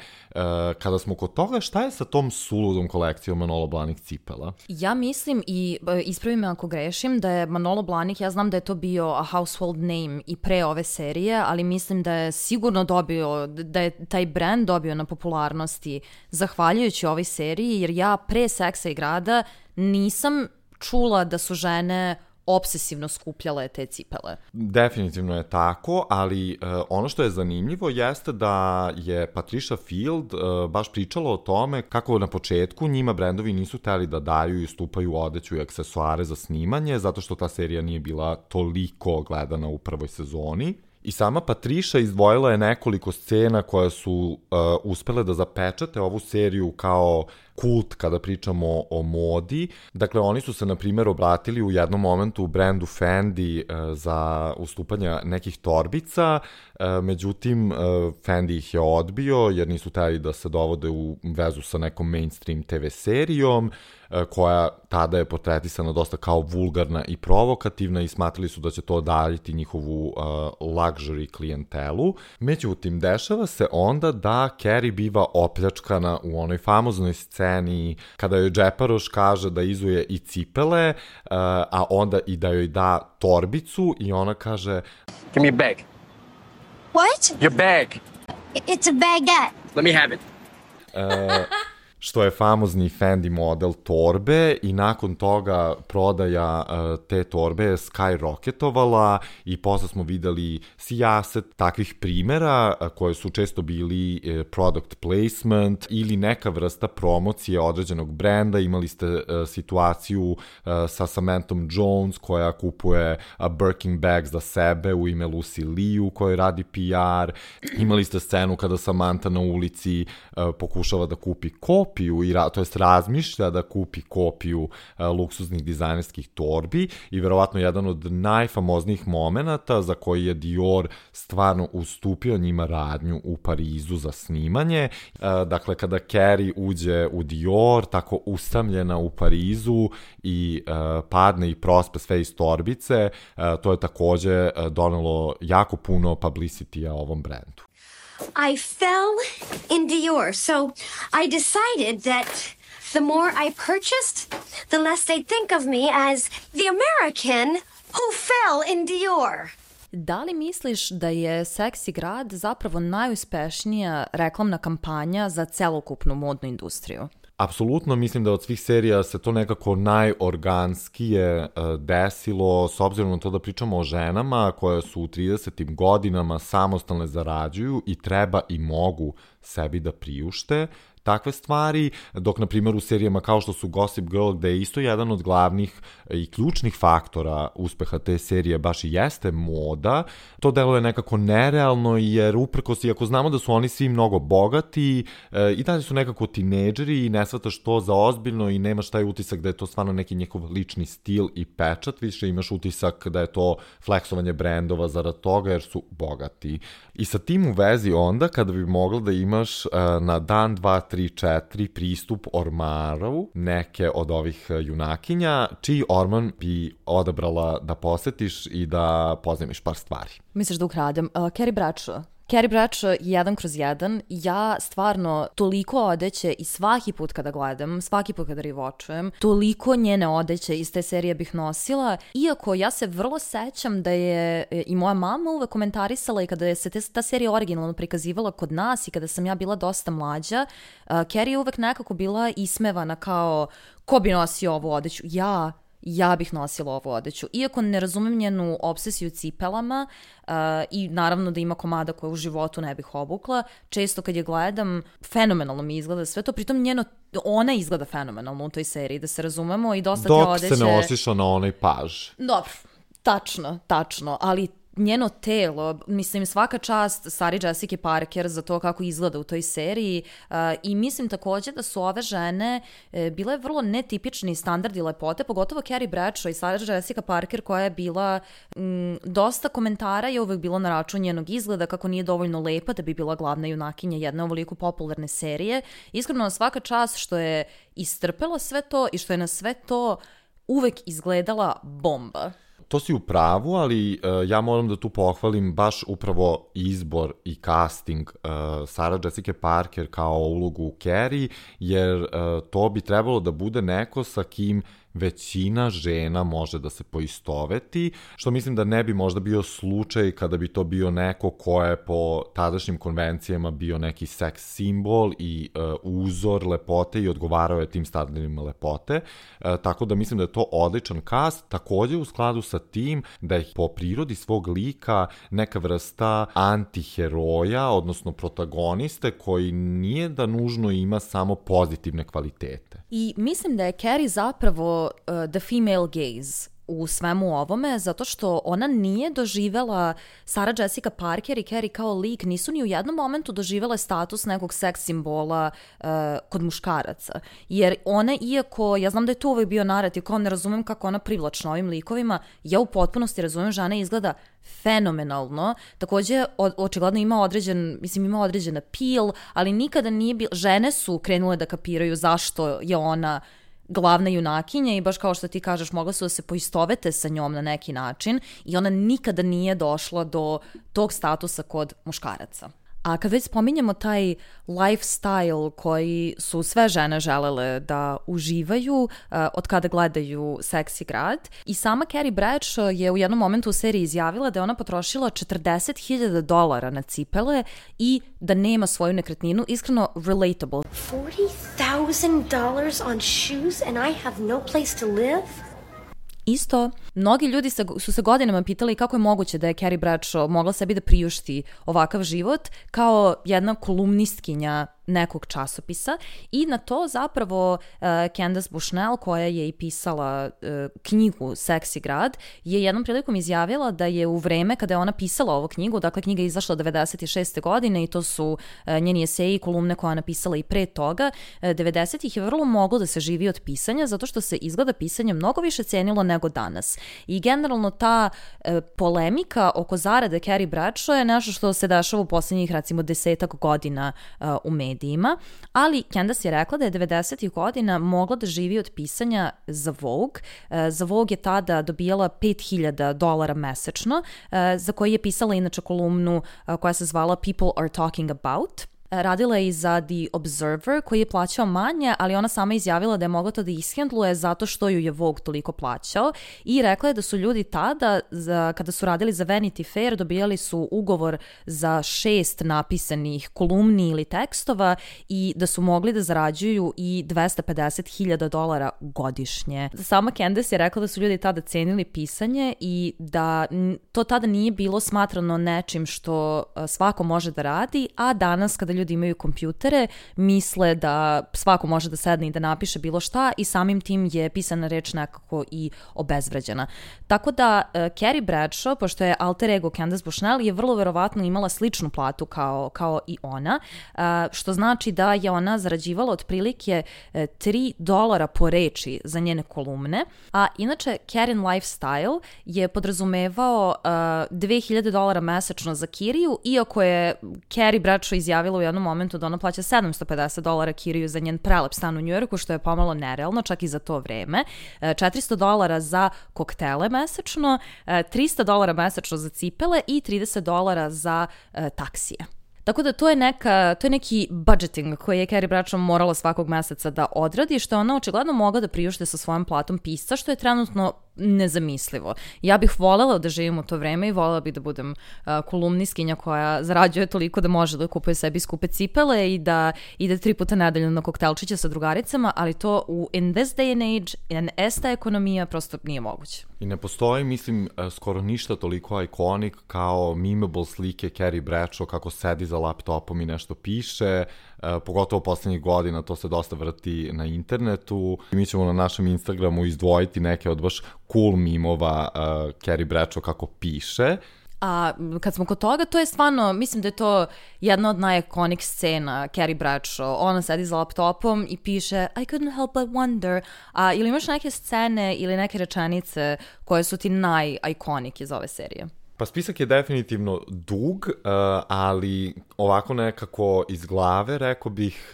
Kada smo kod toga, šta je sa tom suludom kolekcijom Manolo Blahnik cipela? Ja mislim, i ispravi me ako grešim, da je Manolo Blahnik, ja znam da je to bio a household name i pre ove serije, ali mislim da je sigurno dobio, da je taj brand dobio na popularnosti zahvaljujući ovoj seriji, jer ja pre Seksa i grada nisam čula da su žene obsesivno skupljale te cipele. Definitivno je tako, ali ono što je zanimljivo jeste da je Patricia Field baš pričala o tome kako na početku njima brendovi nisu hteli da daju i ustupaju odeću i aksesuare za snimanje, zato što ta serija nije bila toliko gledana u prvoj sezoni. I sama Patricia izdvojila je nekoliko scena koje su uspele da zapečate ovu seriju kao kult kada pričamo o modi. Dakle, oni su se, na primjer, obratili u jednom momentu u brendu Fendi za ustupanje nekih torbica, međutim, Fendi ih je odbio jer nisu hteli da se dovode u vezu sa nekom mainstream TV serijom, koja tada je portretisana dosta kao vulgarna i provokativna i smatrali su da će to odaljiti njihovu luxury klijentelu. Međutim, dešava se onda da Carrie biva opljačkana u onoj famoznoj sceni kada joj džeparoš kaže da izuje i cipele, a onda i da joj da torbicu i ona kaže Give me your bag. What? Your bag. It's a baguette. Let me have it. što je famozni Fendi model torbe i nakon toga prodaja te torbe je skyrocketovala i posle smo videli sijaset takvih primera koje su često bili product placement ili neka vrsta promocije određenog brenda. Imali ste situaciju sa Samanthom Jones koja kupuje Birkin bag za sebe u ime Lucy Liu koja radi PR. Imali ste scenu kada Samantha na ulici pokušava da kupi kopiju, to jest razmišlja da kupi kopiju luksuznih dizajnerskih torbi i verovatno jedan od najfamoznijih momenata za koji je Dior stvarno ustupio njima radnju u Parizu za snimanje. Dakle, kada Carrie uđe u Dior, tako usamljena u Parizu i padne i prospe sve iz torbice, to je takođe donelo jako puno publicity-a ovom brendu. I fell in Dior, so I decided that the more I purchased, the less they'd think of me as the American who fell in Dior. Da li misliš da je Seksi grad zapravo najuspešnija reklamna kampanja za celokupnu modnu industriju? Apsolutno, mislim da od svih serija se to nekako najorganskije desilo, s obzirom na to da pričamo o ženama koje su u 30. godinama samostalne, zarađuju i treba i mogu sebi da priušte takve stvari, dok na primjer u serijama kao što su Gossip Girl, gde je isto jedan od glavnih i ključnih faktora uspeha te serije baš i jeste moda, to deluje nekako nerealno jer uprkos, iako znamo da su oni svi mnogo bogati, i dalje su nekako tinejdžeri i ne shvataš to za ozbiljno i nemaš taj utisak da je to stvarno neki njihov lični stil i pečat, više imaš utisak da je to fleksovanje brendova zarad toga jer su bogati. I sa tim u vezi onda, kada bi mogla da imaš na dan, 2, 3, 4 pristup ormaru neke od ovih junakinja, čiji orman bi odabrala da posetiš i da pozajmiš par stvari? Misliš da ukradem? Carrie Bradshaw. Carrie Bradshaw 1/1, ja stvarno toliko odeće i svaki put kada gledam, svaki put kada rewatchujem, toliko njene odeće iz te serije bih nosila, iako ja se vrlo sećam da je i moja mama uvek komentarisala i kada je se ta serija originalno prikazivala kod nas i kada sam ja bila dosta mlađa, Carrie je uvek nekako bila ismevana kao ko bi nosio ovu odeću, ja bih nosila ovu odeću. Iako ne razumem njenu obsesiju cipelama i naravno da ima komada koje u životu ne bih obukla, često kad je gledam, fenomenalno mi izgleda sve to, pritom ona izgleda fenomenalno u toj seriji, da se razumemo i dosta te odeće... Dok se ne ošiša na onaj paž. Dobro, tačno, ali njeno telo, mislim svaka čast Sarah Jessica Parker za to kako izgleda u toj seriji i mislim takođe da su ove žene bile vrlo netipični standardi lepote, pogotovo Carrie Bradshaw i Sarah Jessica Parker koja je bila dosta komentara je uvek bilo na račun njenog izgleda, kako nije dovoljno lepa da bi bila glavna junakinja jedne ovoliko popularne serije. Iskreno svaka čast što je istrpela sve to i što je na sve to uvek izgledala bomba. To si u pravu, ali ja moram da tu pohvalim baš upravo izbor i casting Sarah Jessica Parker kao ulogu Carrie, jer to bi trebalo da bude neko sa kim većina žena može da se poistoveti, što mislim da ne bi možda bio slučaj kada bi to bio neko ko je po tadašnjim konvencijama bio neki seks simbol i uzor lepote i odgovarao je tim standardima lepote, tako da mislim da je to odličan cast, takođe u skladu sa tim da je po prirodi svog lika neka vrsta antiheroja, odnosno protagoniste koji nije da nužno ima samo pozitivne kvalitete. I mislim da je Carrie zapravo the female gaze u svemu ovome, zato što ona nije doživela, Sarah Jessica Parker i Carrie kao lik nisu ni u jednom momentu doživele status nekog seks simbola kod muškaraca. Jer ona, iako, ja znam da je to uvek bio narativ, kao ne razumem kako ona privlačna ovim likovima, ja u potpunosti razumem, žena izgleda fenomenalno, takođe očigledno ima određen appeal, ali nikada nije bilo, žene su krenule da kapiraju zašto je ona glavna junakinja i baš kao što ti kažeš, mogla su da se poistovete sa njom na neki način i ona nikada nije došla do tog statusa kod muškaraca. A kad već spominjemo taj lifestyle koji su sve žene želele da uživaju od kada gledaju Seksi grad, i sama Carrie Bradshaw je u jednom momentu u seriji izjavila da je ona potrošila $40,000 na cipele i da nema svoju nekretninu. Iskreno, relatable. $40,000 on shoes and I have no place to live? Isto, mnogi ljudi su se godinama pitali kako je moguće da je Carrie Bradshaw mogla sebi da priušti ovakav život kao jedna kolumnistkinja nekog časopisa, i na to zapravo Candace Bushnell, koja je i pisala knjigu Seksi grad, je jednom prilikom izjavila da je u vreme kada je ona pisala ovu knjigu, dakle knjiga je izašla 96. godine i to su njeni eseji i kolumne koje je napisala i pre toga, 90-ih je vrlo moglo da se živi od pisanja, zato što se izgleda pisanje mnogo više cenilo nego danas. I generalno ta polemika oko zarade Carrie Bradshaw je nešto što se dešava u poslednjih recimo 10 godina u medijima. Ali Candace je rekla da je 90-ih godina mogla da živi od pisanja za Vogue. Za Vogue je tada dobijala $5,000 mesečno, za koji je pisala inače kolumnu koja se zvala People Are Talking About. Radila je i za The Observer, koji je plaćao manje, ali ona sama izjavila da je mogla to da ishendluje zato što ju je Vogue toliko plaćao, i rekla je da su ljudi tada, kada su radili za Vanity Fair, dobijali su ugovor za 6 napisanih kolumni ili tekstova i da su mogli da zarađuju i $250,000 godišnje. Sama Candace je rekla da su ljudi tada cenili pisanje i da to tada nije bilo smatrano nečim što svako može da radi, a danas kada ljudi imaju kompjutere, misle da svako može da sedne i da napiše bilo šta, i samim tim je pisana reč nekako i obezvređena. Tako da Carrie Bradshaw, pošto je alter ego Candace Bushnell, je vrlo verovatno imala sličnu platu kao i ona, što znači da je ona zarađivala otprilike $3 po reči za njene kolumne, a inače Carrie lifestyle je podrazumevao $2,000 mesečno za kiriju, iako je Carrie Bradshaw izjavila u jednom momentu da ona plaća $750 kiriju za njen prelep stan u Njujorku, što je pomalo nerealno, čak i za to vreme, $400 za koktele mesečno, $300 mesečno za cipele i $30 za taksije. Tako da to je neki budgeting koji je Carrie Bradshaw morala svakog meseca da odradi, što je ona očigledno mogla da priušte sa svojom platom pisca, što je trenutno nezamislivo. Ja bih volela da živim u to vreme i volela bih da budem kolumnistkinja koja zarađuje toliko da može da kupuje sebi skupe cipele i da ide 3 puta nedeljno na koktelčiće sa drugaricama, ali to in this day and age, esta ekonomija, prosto nije moguće. I ne postoji, mislim, skoro ništa toliko iconic kao memeable slike Carrie Bradshaw kako sedi za laptopom i nešto piše, pogotovo poslednjih godina, to se dosta vrti na internetu. Mi ćemo na našem Instagramu izdvojiti neke od baš cool mimova Carrie Bradshaw kako piše. A kad smo kod toga, to je stvarno, mislim da je to jedna od najikonik scena Carrie Bradshaw. Ona sedi za laptopom i piše I couldn't help but wonder. Ili imaš neke scene ili neke rečenice koje su ti najikonik iz ove serije? Pa spisak je definitivno dug, ali ovako nekako iz glave rekao bih,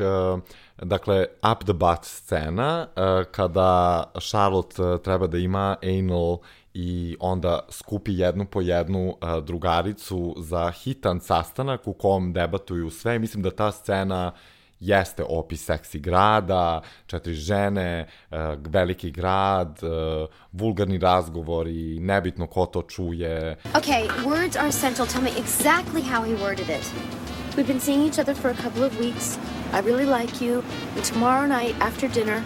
dakle, up the butt scena, kada Charlotte treba da ima anal i onda skupi jednu po jednu drugaricu za hitan sastanak u kom debatuju sve. Mislim da ta scena jeste opis Seksi grada, 4 žene, veliki grad, vulgarni razgovori, nebitno ko to čuje. Okay, words are essential. Tell me exactly how he worded it. We've been seeing each other for a couple of weeks. I really like you. And tomorrow night after dinner,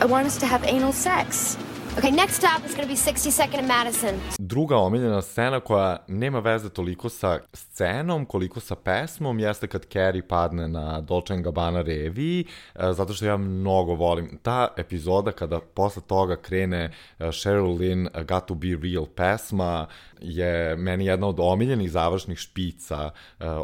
I want us to have anal sex. Okay, next stop is going to be 62nd and Madison. Druga omiljena scena koja nema veze toliko sa scenom koliko sa pesmom jeste kad Carrie padne na Dolce & Gabbana reviji, zato što ja mnogo volim ta epizoda kada posle toga krene Sheryl Lynn Got to Be Real pesma, je meni jedna od omiljenih završnih špica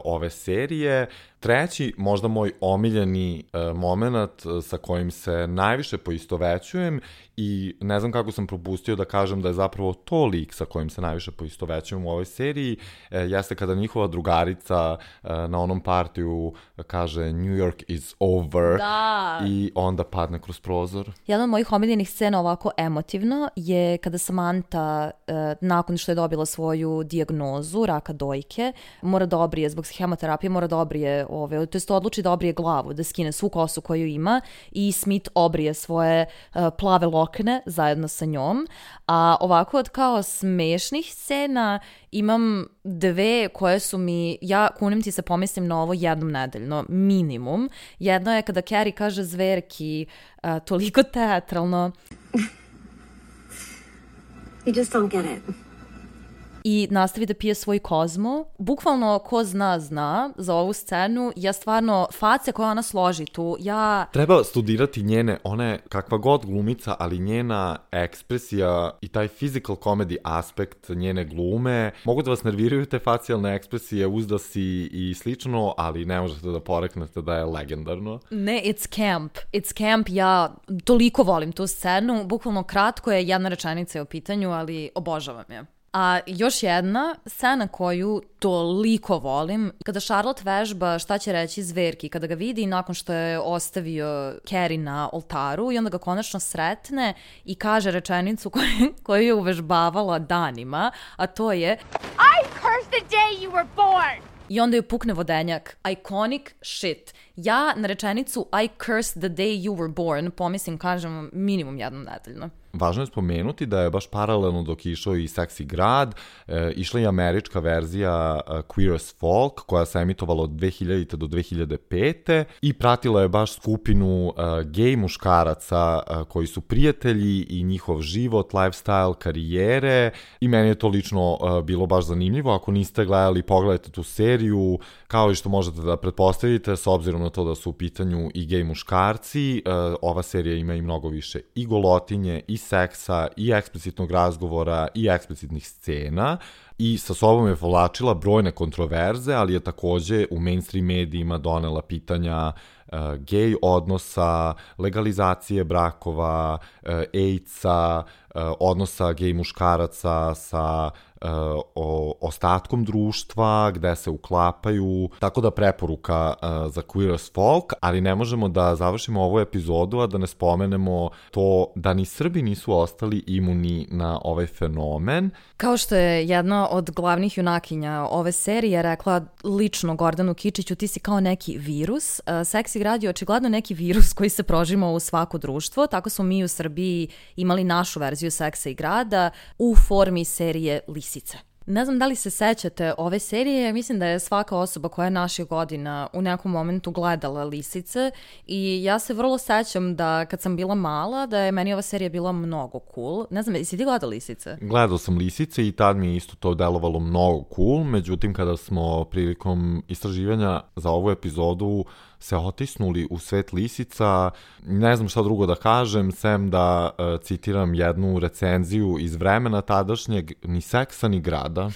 ove serije. Treći, možda moj omiljeni moment sa kojim se najviše poistovećujem i ne znam kako sam propustio da kažem da je zapravo to lik sa kojim se najviše poistovećujem u ovoj seriji, jeste kada njihova drugarica na onom partiju kaže New York is over i onda padne kroz prozor. Jedna od mojih omiljenih scena ovako emotivno je kada Samantha nakon što je dobila svoju dijagnozu raka dojke, mora da obrije zbog hemoterapije, mora da obrije to jest odluči da obrije glavu, da skine svu kosu koju ima i Smith obrije svoje plave lokne zajedno sa njom. A ovako od kao smešnih scena imam dve koje su mi, ja kunim ti se pomislim na ovo jednom nedeljno, minimum. Jedno je kada Carrie kaže zverki toliko teatralno. You just don't get it. I nastavi da pije svoj Kozmo. Bukvalno ko zna za ovu scenu, ja stvarno, face koje ona složi tu, Treba studirati njene, one kakva god glumica, ali njena ekspresija i taj physical comedy aspekt njene glume, mogu da vas nerviraju te facijalne ekspresije, uzdasi i slično, ali ne možete da poreknete da je legendarno. Ne, it's camp, ja toliko volim tu scenu, bukvalno kratko je, jedna rečenica je u pitanju, ali obožavam je. A još jedna scena koju toliko volim, kada Charlotte vežba šta će reći zverki, kada ga vidi nakon što je ostavio Carrie na oltaru i onda ga konačno sretne i kaže rečenicu koju je uvežbavala danima, a to je I curse the day you were born! I onda joj pukne vodenjak. Iconic shit. Ja na rečenicu I curse the day you were born pomislim, kažem, minimum jednom nedeljno. Važno je spomenuti da je baš paralelno dok je išao i Seksi grad, išla i američka verzija Queer as Folk, koja se emitovala od 2000. do 2005. i pratila je baš skupinu gej muškaraca koji su prijatelji i njihov život, lifestyle, karijere i meni je to lično bilo baš zanimljivo. Ako niste gledali, pogledajte tu seriju, kao i što možete da pretpostavite, s obzirom na to da su u pitanju i gej muškarci, ova serija ima i mnogo više i golotinje, i seksa, i eksplicitnog razgovora, i eksplicitnih scena i sa sobom je povlačila brojne kontroverze, ali je takođe u mainstream medijima donela pitanja gej odnosa, legalizacije brakova, AIDS-a, odnosa gej muškaraca sa ostatkom društva, gde se uklapaju, tako da preporuka za Queer as Folk, ali ne možemo da završimo ovu epizodu, a da ne spomenemo to da ni Srbi nisu ostali imuni na ovaj fenomen. Kao što je jedna od glavnih junakinja ove serije rekla lično Gordanu Kičiću, ti si kao neki virus. Seksi grad je očigledno neki virus koji se prožima u svako društvo, tako smo mi u Srbiji imali našu verziju Seksa i grada u formi serije Lisice. Ne znam da li se sećate ove serije, mislim da je svaka osoba koja je naših godina u nekom momentu gledala Lisice i ja se vrlo sećam da kad sam bila mala da je meni ova serija bila mnogo cool. Ne znam, jesi ti gledao Lisice? Gledao sam Lisice i tad mi je isto to delovalo mnogo cool, međutim kada smo prilikom istraživanja za ovu epizodu se otisnuli u svet lisica, ne znam šta drugo da kažem, sem da citiram jednu recenziju iz vremena tadašnjeg, ni seksa ni grada.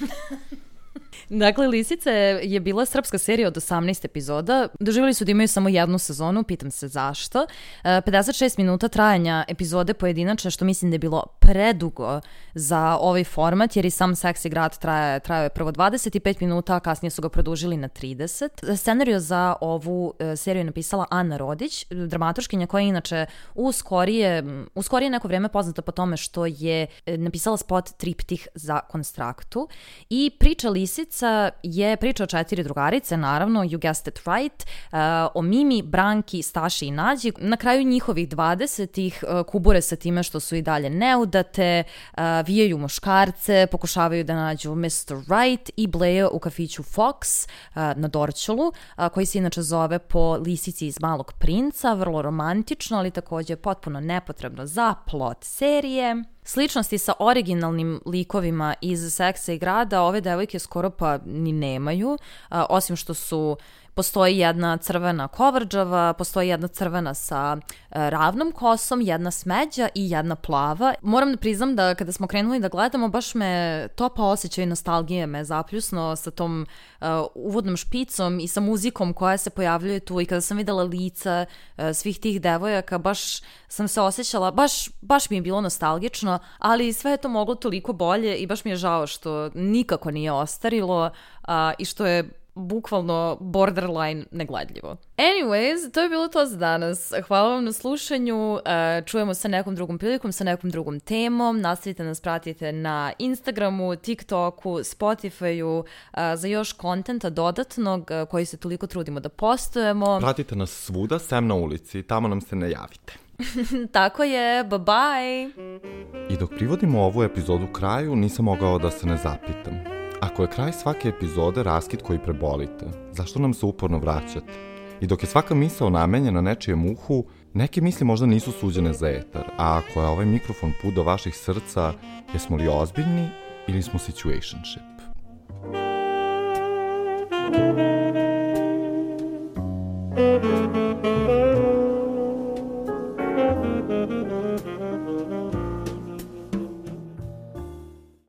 Dakle, Lisice je bila srpska serija od 18 epizoda. Doživjeli su da imaju samo jednu sezonu, pitam se zašto. 56 minuta trajanja epizode pojedinačne, što mislim da je bilo predugo za ovaj format, jer i sam Seksi grad trajao je prvo 25 minuta, a kasnije su ga produžili na 30. Scenariju za ovu seriju je napisala Ana Rodić, dramaturškinja koja je inače u skorije neko vrijeme poznata po tome što je napisala spot Triptih za Konstraktu. I priča Lisica je priča o 4 drugarice, naravno, you guessed it right, o Mimi, Branki, Staši i Nađi. Na kraju njihovih 20-ih kubure sa time što su i dalje neudate, vijaju muškarce, pokušavaju da nađu Mr. Right i bleje u kafiću Fox na Dorćolu, koji se inače zove po lisici iz Malog princa, vrlo romantično, ali također potpuno nepotrebno za plot serije. Sličnosti sa originalnim likovima iz Seksa i grada ove devojke skoro pa ni nemaju, osim što su postoji jedna crvena kovrđava, postoji jedna crvena sa ravnom kosom, jedna smeđa i jedna plava. Moram da priznam da kada smo krenuli da gledamo, baš me topa osjećaj nostalgije me zapljusno sa tom uvodnom špicom i sa muzikom koja se pojavljuje tu, i kada sam videla lica svih tih devojaka, baš sam se osjećala, baš mi je bilo nostalgično, ali sve je to moglo toliko bolje i baš mi je žao što nikako nije ostarilo i što je bukvalno borderline negledljivo. Anyways, to je bilo to za danas. Hvala vam na slušanju. Čujemo se nekom drugom prilikom, sa nekom drugom temom. Nastavite nas pratite na Instagramu, TikToku, Spotifyu za još kontenta dodatnog koji se toliko trudimo da postujemo. Pratite nas svuda, sem na ulici. Tamo nam se ne javite. Tako je, bye bye! I dok privodimo ovu epizodu kraju, nisam mogao da se ne zapitam. Ako je kraj svake epizode raskid koji prebolite, zašto nam se uporno vraćate? I dok je svaka misao namenjena nečijem uhu, neke misli možda nisu suđene za etar, a ako je ovaj mikrofon put do vaših srca, jesmo li ozbiljni ili smo situationship?